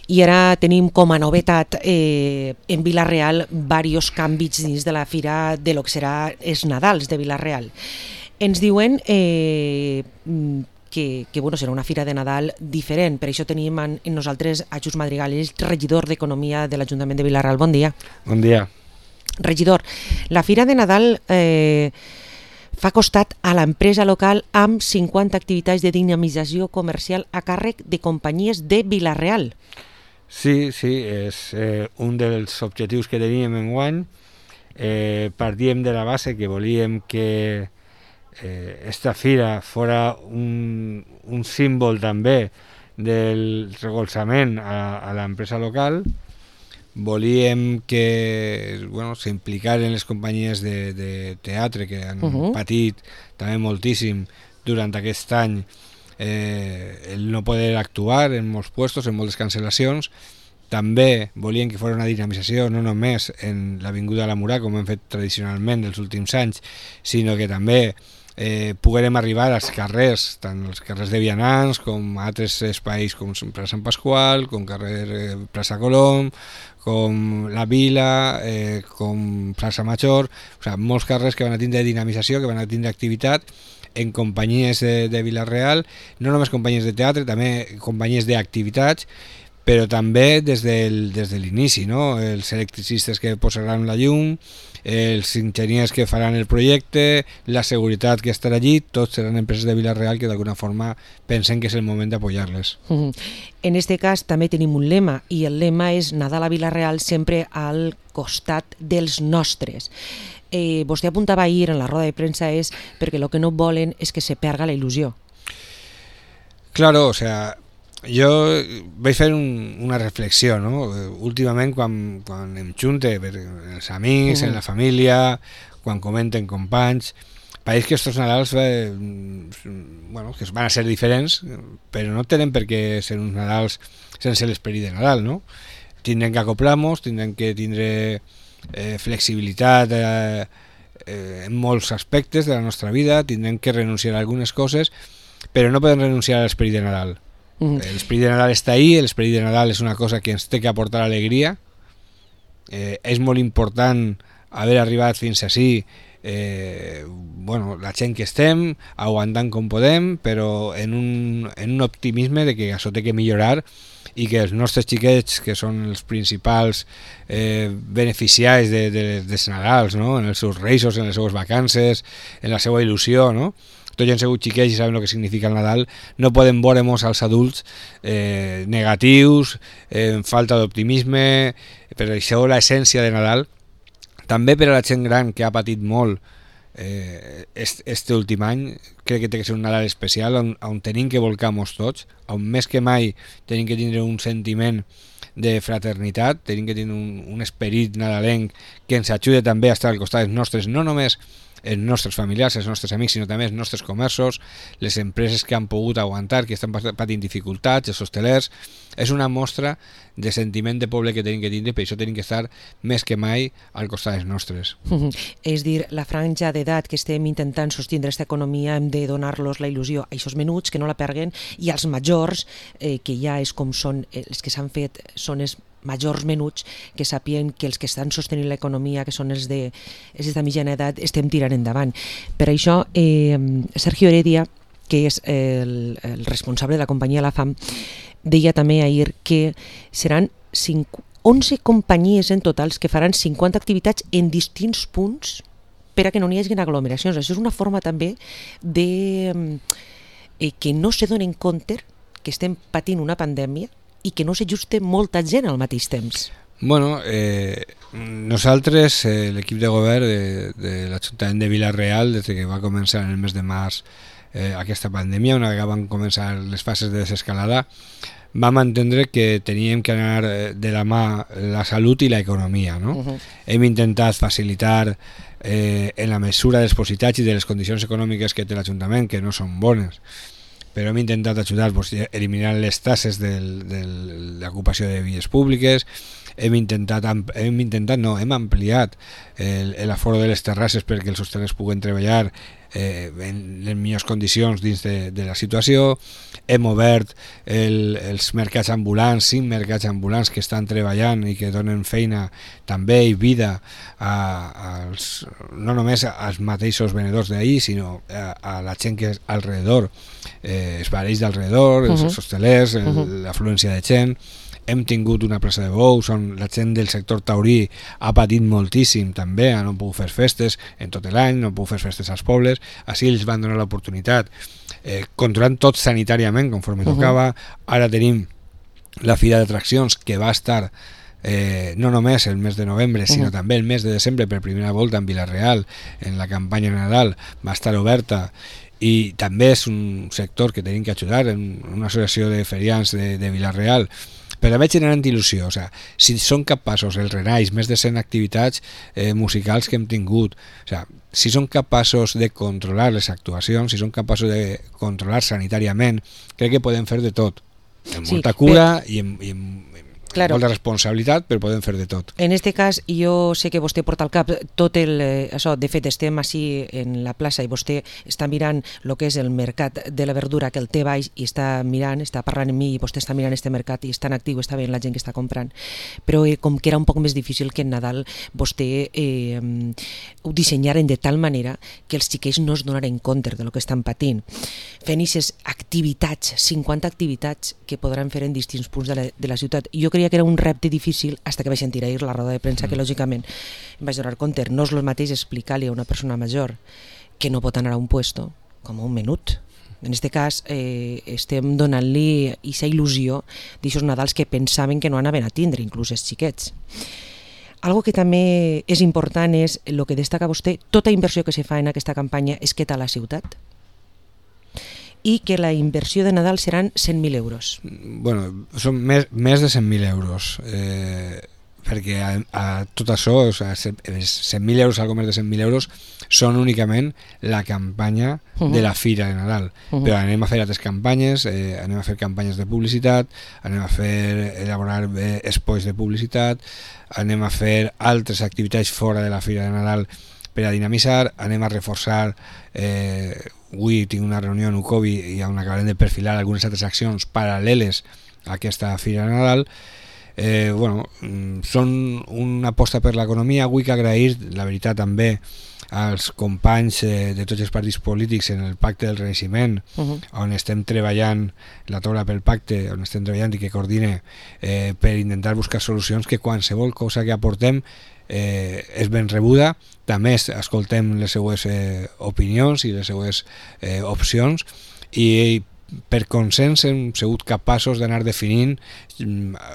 I ara tenim com a novetat en Vila-real diversos canvis dins de la fira de lo que serà els Nadals de Vila-real. Ens diuen que bueno, serà una fira de Nadal diferent, per això tenim en nosaltres a Just Madrigal, el regidor d'Economia de l'Ajuntament de Vila-real. Bon dia. Bon dia. Regidor, la fira de Nadal fa costat a l'empresa local amb 50 activitats de dinamització comercial a càrrec de companyies de Vila-real. Sí, és un dels objectius que teníem enguany. Partíem de la base que volíem que esta fira fora un símbol també del recolzament a l'empresa local. Volíem que s'implicaran les companyies de teatre que han patit també moltíssim durant aquest any el no poder actuar en molts puestos, en moltes cancel·lacions. També volien que fos una dinamització no només en l'Avinguda de la Murà, com hem fet tradicionalment els últims anys, sinó que també poguérem arribar als carrers, tant els carrers de Vianants com altres espais com plaça Sant Pasqual, com carrer plaça Colom, com la Vila, com plaça Major, molts carrers que van a tindre dinamització, que van a tindre activitat en companyies de Vila-real, no només companyies de teatre, també companyies d'activitats, però també des de l'inici, no? Els electricistes que posaran la llum, els enginyers que faran el projecte, la seguretat que estarà allí, tots seran empreses de Vila-real que d'alguna forma pensen que és el moment d'apoyar-les. En aquest cas també tenim un lema, i el lema és Nadal a Vila-real sempre al costat dels nostres. Vostè apuntava ahir en la roda de premsa és perquè el que no volen és que se perga la il·lusió. Claro, o sea, jo vaig fer una reflexió, no? Últimament quan em junte els amics, en la família, quan comenten companys, pareix que estos Nadals que van a ser diferents, però no tenen per què ser uns Nadals sense l'esperit de Nadal, no? Tindrem que acoplar-nos, tindrem que tindre flexibilitat en molts aspectes de la nostra vida, tindrem que renunciar a algunes coses, però no podem renunciar a l'esperit de Nadal. L'esperit de Nadal està ahí, l'esperit de Nadal és una cosa que ens té que aportar alegria. És molt important haver arribat fins ací, la gent que estem, aguantant com podem, però en un optimisme de que això té que millorar i que els nostres xiquets, que són els principals beneficiaris dels Nadals, no? En els seus reis, en les seues vacances, en la seva il·lusió, no? Tots han sigut xiquets i saben el que significa el Nadal. No podem veure-nos als adults negatius, falta d'optimisme. Per això l'essència de Nadal, també per a la gent gran que ha patit molt este últim any, crec que té que ser un Nadal especial on tenim que volcar-nos tots, on més que mai tenim que tindre un sentiment de fraternitat, tenim que tindre un esperit nadalenc que ens ajude també a estar al costat dels nostres, no només els nostres familiars, els nostres amics, sinó també els nostres comerços, les empreses que han pogut aguantar, que estan patint dificultats, els hostelers. És una mostra de sentiment de poble que tenim que tindre, per això tenim que estar més que mai al costat dels nostres. És dir, la franja d'edat que estem intentant sostindre aquesta economia hem de donar-los la il·lusió a aquests menuts, que no la perguen, i als majors, que ja és com són els que s'han fet, són els majors menuts, que sàpien que els que estan sostenint l'economia, que són els de mitjana edat, estem tirant endavant. Per això, Sergio Heredia, que és el responsable de la companyia La Fam, deia també ahir que seran 11 companyies en totals que faran 50 activitats en distints punts per a que no n'hi hagi aglomeracions. Això és una forma també de que no se donen compte que estem patint una pandèmia i que no s'ajuste molta gent al mateix temps. Bueno, nosaltres, l'equip de govern de l'Ajuntament de Vila-real, des que va començar en el mes de març aquesta pandèmia, una vegada van començar les fases de desescalada, vam entendre que teníem que anar de la mà la salut i l'economia, no? Hem intentat facilitar en la mesura dels possibilitats i de les condicions econòmiques que té l'Ajuntament, que no són bones, però hem intentat ajudar eliminant les tasses de l'ocupació de vies públiques, hem ampliat l'aforo de les terrasses perquè els hostalers puguen treballar en les millors condicions dins de la situació. Hem obert els mercats ambulants, 5 mercats ambulants que estan treballant i que donen feina també i vida no només als mateixos venedors d'ahir, sinó a la gent que és alrededor, els barells d'alrededor, els hostalers, l'afluència de gent. Hem tingut una plaça de bous on la gent del sector taurí ha patit moltíssim també, no pogut fer festes en tot l'any, no pogut fer festes als pobles. Així ells van donar l'oportunitat, controlant tot sanitàriament conforme tocava. Ara tenim la fira d'atraccions que va estar no només el mes de novembre sinó també el mes de desembre per primera volta en Vila-real, en la campanya de Nadal va estar oberta, i també és un sector que tenim que ajudar, en una associació de ferians de Vila-real, però veig generant il·lusió. O sigui, si són capaços els renais, més de 100 activitats musicals que hem tingut, o sigui, si són capaços de controlar les actuacions, si són capaços de controlar sanitàriament, crec que podem fer de tot, amb molta cura i amb molta responsabilitat, però podem fer de tot. En este cas, jo sé que vostè porta al cap tot això, de fet estem així en la plaça i vostè està mirant el que és el mercat de la verdura que el té baix i està mirant, està parlant amb mi i vostè està mirant este mercat i està en actiu, està veient la gent que està comprant, però com que era un poc més difícil que en Nadal vostè ho dissenyaren de tal manera que els xiquets no es donaren compte de lo que estan patint, fent aquestes activitats, 50 activitats que podran fer en distints punts de la ciutat. Jo creia que era un repte difícil fins que vaig sentir ahir la roda de premsa, que lògicament em vaig donar compte, no és el mateix explicar-li a una persona major que no pot anar a un puesto com a un menut. En aquest cas estem donant-li aquesta il·lusió d'aixòs Nadals que pensaven que no anaven a tindre, inclús els xiquets. Algo que també és important és el que destaca vostè, tota inversió que se fa en aquesta campanya és que tal la ciutat, i que la inversió de Nadal seran 100.000 euros. Bueno, són més de 100.000 euros, perquè a tot això, o sigui, 100.000 euros, algo més de 100.000 euros, són únicament la campanya de la Fira de Nadal. Però anem a fer altres campanyes, anem a fer campanyes de publicitat, anem a elaborar espais de publicitat, anem a fer altres activitats fora de la Fira de Nadal per a dinamitzar, anem a reforçar. Avui tinc una reunió en UCOBI i on acabarem de perfilar algunes altres accions paral·leles a aquesta Fira de Nadal. Són una aposta per l'economia. Vull agrair, la veritat, també als companys de tots els partits polítics en el Pacte del Renaixement, on estem treballant, la taula pel pacte, on estem treballant i que coordine per intentar buscar solucions, que qualsevol cosa que aportem és ben rebuda. També escoltem les seues opinions i les seues opcions, i per consens hem sigut capaços d'anar definint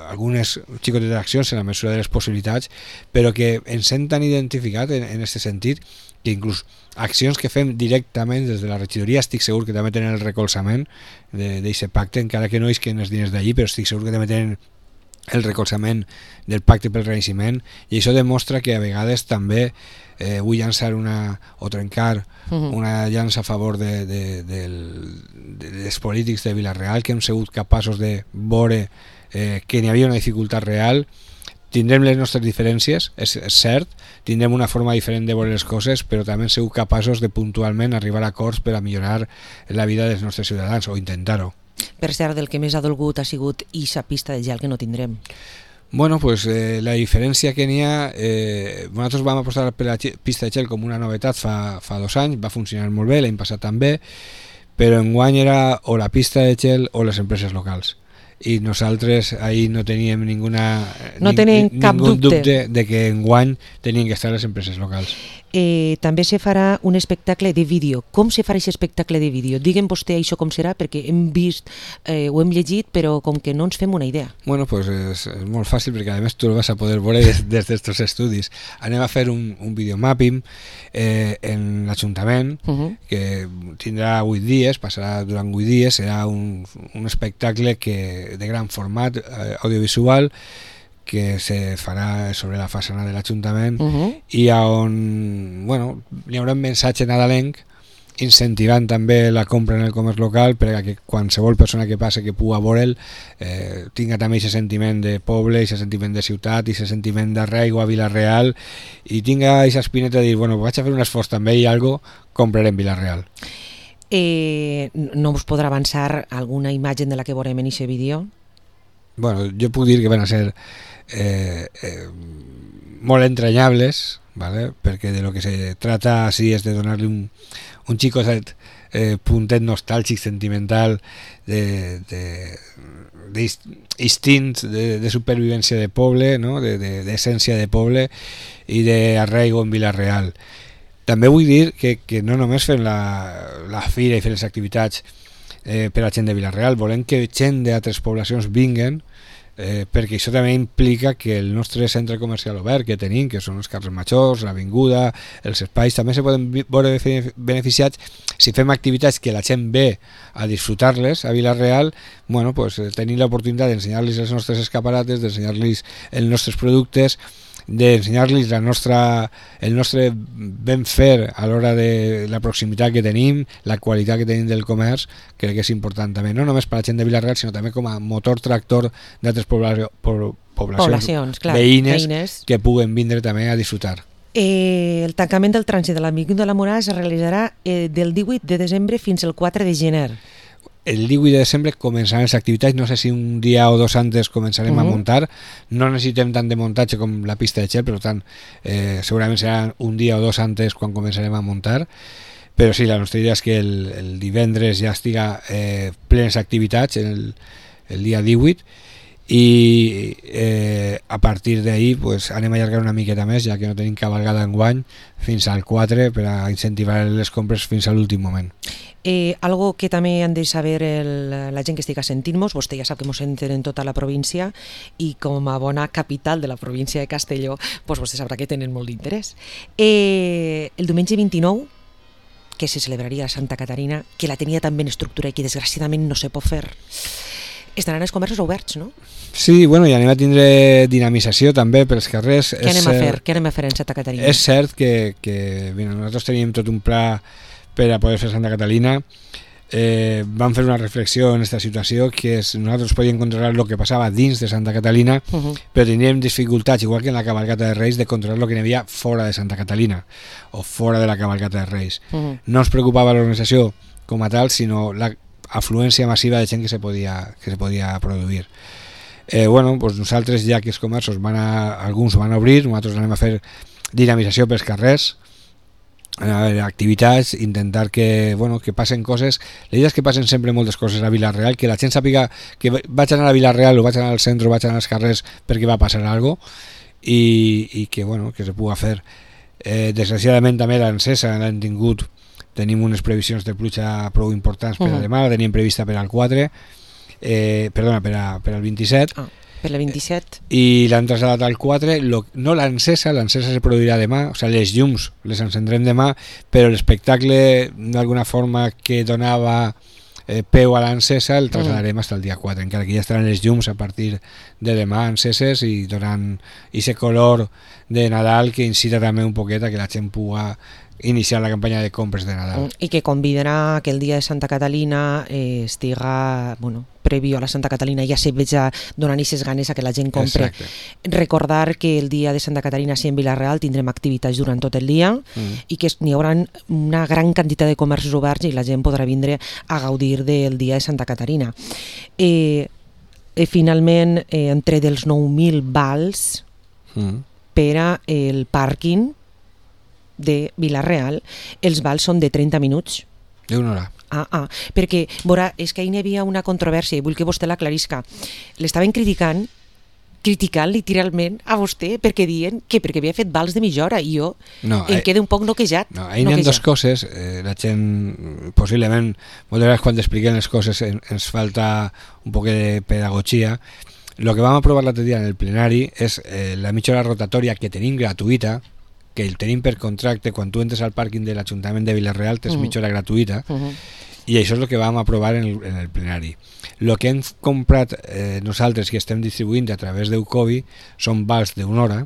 algunes xicotetes d'accions en la mesura de les possibilitats, però que ens hem tan identificat en aquest sentit que inclús accions que fem directament des de la regidoria estic segur que també tenen el recolzament d'aquest pacte, encara que no isquen els diners d'allí, però estic segur que també tenen el recolzament del Pacte pel Renaixement, i això demostra que a vegades també vull llançar trencar una llança a favor dels polítics de Vila-real, que hem sigut capaços de veure que n'hi havia una dificultat real. Tindrem les nostres diferències, és cert, tindrem una forma diferent de veure les coses, però també hem sigut capaços de puntualment arribar a acords per a millorar la vida dels nostres ciutadans, o intentar-ho. Per cert, del que més ha dolgut ha sigut aquesta pista de gel que no tindrem. Bueno, pues la diferència que n'hi ha, nosaltres vam apostar per la pista de gel com una novetat fa 2 anys, va funcionar molt bé, l'any passat també, però enguany era o la pista de gel o les empreses locals. I nosaltres ahir no teníem ningú dubte de que enguany tenien que estar les empreses locals. També se farà un espectacle de vídeo. Com se farà aquest espectacle de vídeo? Digue'm vostè això com serà, perquè hem vist, ho hem llegit, però com que no ens fem una idea. Bueno, pues és molt fàcil, perquè a més tu el vas a poder veure des d'estos estudis. Anem a fer un videomapping en l'Ajuntament, que tindrà 8 dies, passarà durant 8 dies, serà un espectacle de gran format audiovisual, que se farà sobre la façana de l'Ajuntament, i on hi haurà un mensatge nadalenc incentivant també la compra en el comerç local perquè qualsevol persona que passe que pugui veure'l tinga també aquest sentiment de poble, aquest sentiment de ciutat, aquest sentiment d'arraigo a Vila-real i tinga aquesta espineta de dir, bueno, vaig a fer un esforç també i algo compraré en Vila-real. No us podrà avançar alguna imatge de la que veurem en aquest vídeo? Bueno, jo puc dir que van a ser molt entranyables, ¿vale? Perquè de lo que se trata así es de donar-li un xicot puntet nostàlgic, sentimental, d'instint de supervivència de poble, no? D'essència de poble i d'arraigo en Vila-real. També vull dir que no només fem la fira i fem les activitats per a gent de Vila-real, volem que gent d'altres poblacions vinguen perquè això també implica que el nostre centre comercial obert que tenim, que són els carrers majors, l'avinguda, els espais, també se poden veure beneficiats si fem activitats que la gent ve a disfrutar-les a Vila-real. Bueno, pues, tenim l'oportunitat d'ensenyar-los els nostres escaparates, d'ensenyar-los els nostres productes, d'ensenyar-los el nostre ben fer a l'hora de la proximitat que tenim, la qualitat que tenim del comerç, crec que és important també, no només per a la gent de Vila-real, sinó també com a motor tractor d'altres poblacions clar, veïnes que puguen vindre també a disfrutar. El tancament del trànsit de l'Amic de la Morà es realitzarà del 18 de desembre fins al 4 de gener. El 18 de desembre començaran les activitats, no sé si un dia o dos antes començarem a muntar, no necessitem tant de muntatge com la pista de gel, per tant segurament serà un dia o dos antes quan començarem a muntar, però sí, la nostra idea és que el divendres ja estiga plenes activitats el dia 18 i a partir d'ahir pues, anem a allargar una miqueta més, ja que no tenim cabalgada enguany, fins al 4 per a incentivar les compres fins a l'últim moment. Algo que també han de saber la gent que estigui sentint-nos, vostè ja sap que ens senten en tota la província i com a bona capital de la província de Castelló, pues vostè sabrà que tenen molt d'interès. El diumenge 29, que se celebraria a Santa Caterina, que la tenia tan ben estructurada i que desgraciadament no se pot fer, estaran els comerços oberts, no? Sí, bueno, i anem a tindre dinamització també pels carrers. Què anem a fer en Santa Caterina? És cert que nosaltres teníem tot un pla per a poder fer Santa Catalina. Vam fer una reflexió en aquesta situació, que és nosaltres podíem controlar el que passava dins de Santa Catalina, però tindríem dificultats, igual que en la cabalgata de Reis, de controlar el que hi havia fora de Santa Catalina o fora de la cabalgata de Reis. No ens preocupava l'organització com a tal, sinó la afluència massiva de gent que se podia produir. Bueno, pues nosaltres, ja que els comerços alguns van a obrir, nosaltres anem a fer dinamització pels carrers, activitats, intentar que passen coses. La idea és que passen sempre moltes coses a Vila-real, que la gent sàpiga que vaig anar a Vila-real o vaig anar al centre o vaig anar als carrers perquè va passar alguna cosa i que se pugui fer. Desgraciadament també l'encesa l'hem tingut, tenim unes previsions de pluja prou importants per a demà, la teníem prevista per al 4 perdona, per al 27 per la 27 i l'han traslladat al 4. No l'encesa se produirà demà, o sigui, les llums les encendrem demà, però l'espectacle d'alguna forma que donava peu a l'encesa el traslladarem fins al dia 4, encara que ja estaran les llums a partir de demà enceses i donant aquest color de Nadal que incita també un poquet a que la gent pugui iniciar la campanya de compres de Nadal. I que convidarà que el dia de Santa Catalina estiga, prèvio a la Santa Catalina ja se veja donant aquestes ganes a que la gent compre. Exacte. Recordar que el dia de Santa Catalina sí en Vila-real tindrem activitats durant tot el dia i que n'hi haurà una gran quantitat de comerços oberts i la gent podrà vindre a gaudir del dia de Santa Caterina. Finalment, entre dels 9.000 vals per al pàrquing de Vila-real, els vals són de 30 minuts. D'una hora. Perquè, veurà, és que ahir hi havia una controvèrsia i vull que vostè l'aclarisca. L'estaven criticant literalment a vostè perquè diuen que perquè havia fet vals de mitja hora i jo em quedo un poc noquejat. No, ahir n'hi ha dues coses. La gent, possiblement, moltes vegades quan expliquem les coses ens falta un poc de pedagogia. El que vam aprovar l'altre dia en el plenari és la mitja hora rotatòria que tenim gratuïta, que el tenim per contracte. Quan tu entres al pàrquing de l'Ajuntament de Vila-real tens mitja hora gratuïta i això és el que vam aprovar en el plenari. El que hem comprat nosaltres que estem distribuint a través d'Eucovi són vals d'una hora,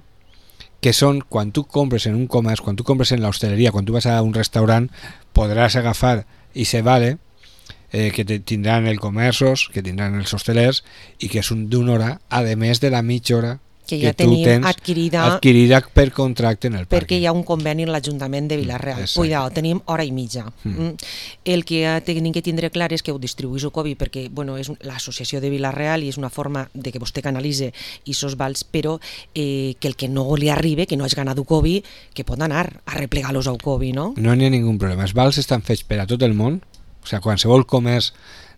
que són quan tu compres en un comerç, quan tu compres en l'hostaleria, quan tu vas a un restaurant, podràs agafar i se vale que tindran els comerços, que tindran els hostelers i que és d'una hora, a més de la mitja hora que ja tu tens adquirida per contracte en el pàrquing. Perquè hi ha un conveni en l'Ajuntament de Vila-real. Cuidao, tenim hora i mitja. El que tenim que tindre clar és que ho distribuís el COVID perquè és l'associació de Vila-real i és una forma de que vostè canalitze aquests vals, però que el que no li arribi, que no és ganat un COVID, que pot anar a replegar-los al COVID, no? No n'hi ha ningú problema. Els vals estan fets per a tot el món, o sigui, qualsevol comerç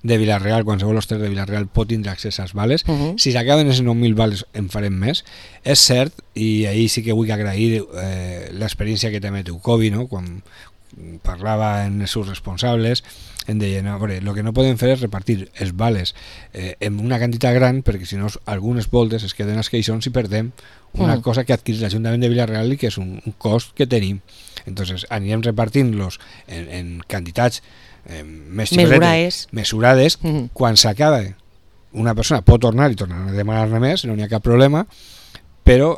de Vila-real, qualsevol hostal de Vila-real pot tindre accés als vales. Si s'acaben els 9.000 vales en farem més. És cert, i ahir sí que vull agrair l'experiència que també té Ucovi, no? Quan parlava en els seus responsables, em deien, el que no podem fer és repartir els vales en una quantitat gran, perquè si no algunes voltes es queden als caixons i perdem una cosa que adquirit l'Ajuntament de Vila-real i que és un cost que tenim. Entonces anirem repartint-los en quantitats més mesurades. Quan s'acaba una persona pot tornar i tornar a demanar-ne més, no n'hi ha cap problema, però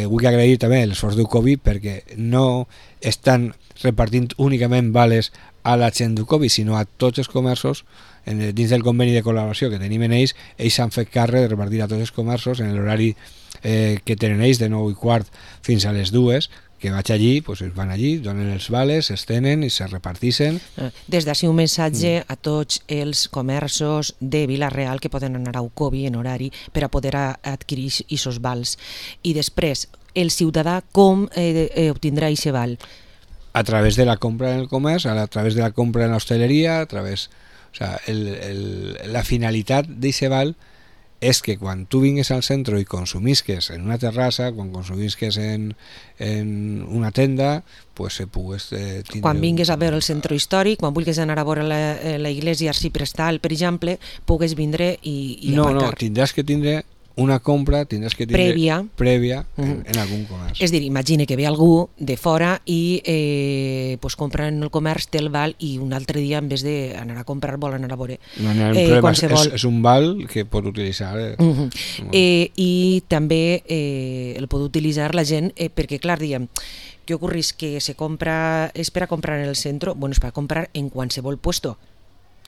vull agrair també l'esforç d'Ucovi perquè no estan repartint únicament vales a la gent d'Ucovi, sinó a tots els comerços. Dins del conveni de col·laboració que tenim en ells s'han fet càrrec de repartir a tots els comerços en l'horari que tenen ells de 9:15 fins a les 2, que vaig allí, pues van allí, donen els vales, es tenen i se repartixen. Des d'ací un missatge a tots els comerços de Vila-real que poden anar a Ucovi en horari per a poder adquirir aquests vals. I després, el ciutadà com obtindrà aquest val? A través de la compra en el comerç, a través de la compra en l'hostaleria, la finalitat d'aquest val és que quan tu vingues al centre i consumisques en una terrassa, quan consumisques en una tenda, pues se pugues tindre... Quan vingues a veure el centre històric, quan vulguis anar a veure la iglesia arciprestal, per exemple, pugues vindre i aparcar. No, tindràs que tindre una compra, tindràs que tindre prèvia en algun comerç. És dir, imagina que ve algú de fora i compra en el comerç, té el val i un altre dia en vez d'anar a comprar vol anar a veure qualsevol. És un val que pot utilitzar. I també el pot utilitzar la gent perquè, clar, diguem, què ocorris? Que se compra, és per a comprar en el centre, bueno, és per a comprar en qualsevol puesto.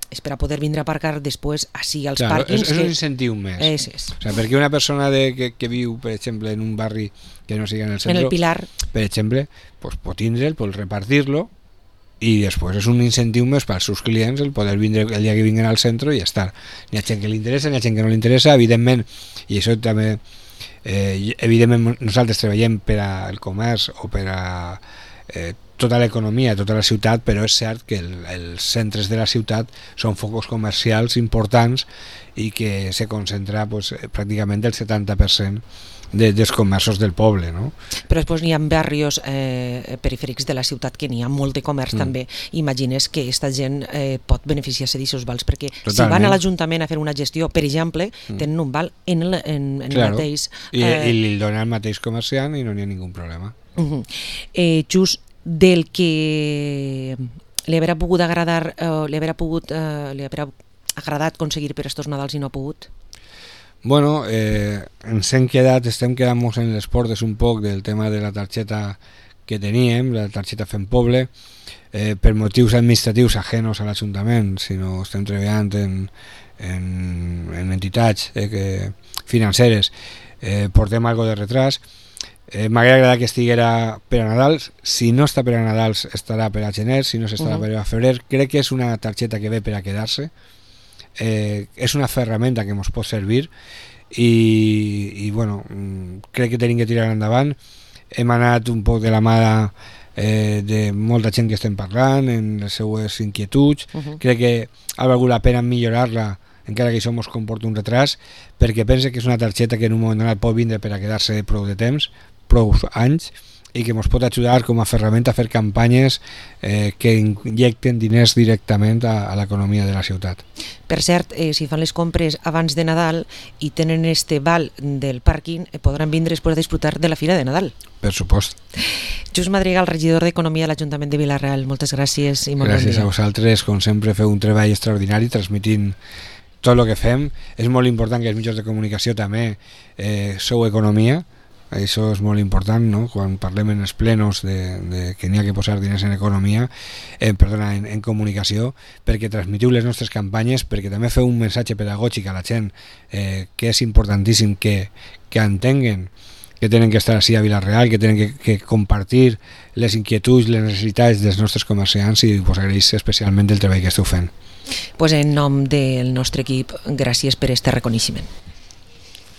És per a poder vindre a aparcar després així als pàrquings. És un incentiu més. O sigui, perquè una persona que viu, per exemple, en un barri que no sigui en el centre, en el Pilar, per exemple, pues, pot tindre'l, pot repartir-lo i després és un incentiu més pels seus clients el poder vindre el dia que vinguin al centre i estar. N'hi ha gent que li interessa, n'hi ha gent que no li interessa, evidentment, i això també evidentment nosaltres treballem per al comerç o per a tota l'economia, tota la ciutat, però és cert que els centres de la ciutat són focus comercials importants i que se concentra pràcticament el 70% dels comerços del poble, no? Però després n'hi ha barris perifèrics de la ciutat que n'hi ha molt de comerç també. Imagines que aquesta gent pot beneficiar-se d'aquests vals, perquè si van a l'Ajuntament a fer una gestió, per exemple, tenen un val en el mateix... I li donen al mateix comerciant i no n'hi ha ningú problema. Just del que li haurà pogut agradar, li haurà agradat aconseguir per estos Nadals i no ha pogut? Bueno, estem quedant-nos en les portes un poc del tema de la targeta que teníem, la targeta Fem Poble, per motius administratius ajenos a l'Ajuntament, sinó estem treballant en entitats financeres, portem algo de retras. M'hauria agradat que estiguera per a Nadals. Si no està per a Nadals estarà per a gener, si no s'estarà per a febrer. Crec que és una targeta que ve per a quedar-se, és una ferramenta que ens pot servir i bueno, crec que tenim que tirar endavant. Hem anat un poc de la mà de molta gent que estem parlant en les seues inquietuds. Crec que ha valgut la pena millorar-la, encara que això ens comporta un retras, perquè pense que és una targeta que en un moment donat pot vindre per a quedar-se prou de temps, prou anys, i que ens pot ajudar com a ferramenta a fer campanyes que injecten diners directament a l'economia de la ciutat. Per cert, si fan les compres abans de Nadal i tenen este val del pàrquing, podran vindre després a disfrutar de la Fira de Nadal. Per supost. Just Madrigal, regidor d'Economia de l'Ajuntament de Vila-real, moltes gràcies i molt bon dia. Gràcies a vosaltres, com sempre feu un treball extraordinari transmitint tot el que fem. És molt important que els mitjans de comunicació també sou economia, Això és molt important, no? Quan parlem en els plenos de que n'hi ha que posar diners en economia, en comunicació, perquè transmetiu les nostres campanyes, perquè també feu un missatge pedagògic a la gent, que és importantíssim que entenguen que tenen que estar així a Vila-real, que tenen que compartir les inquietuds, les necessitats dels nostres comerciants, i us agraeix especialment el treball que esteu fent. Pues en nom del nostre equip, gràcies per este reconeixement.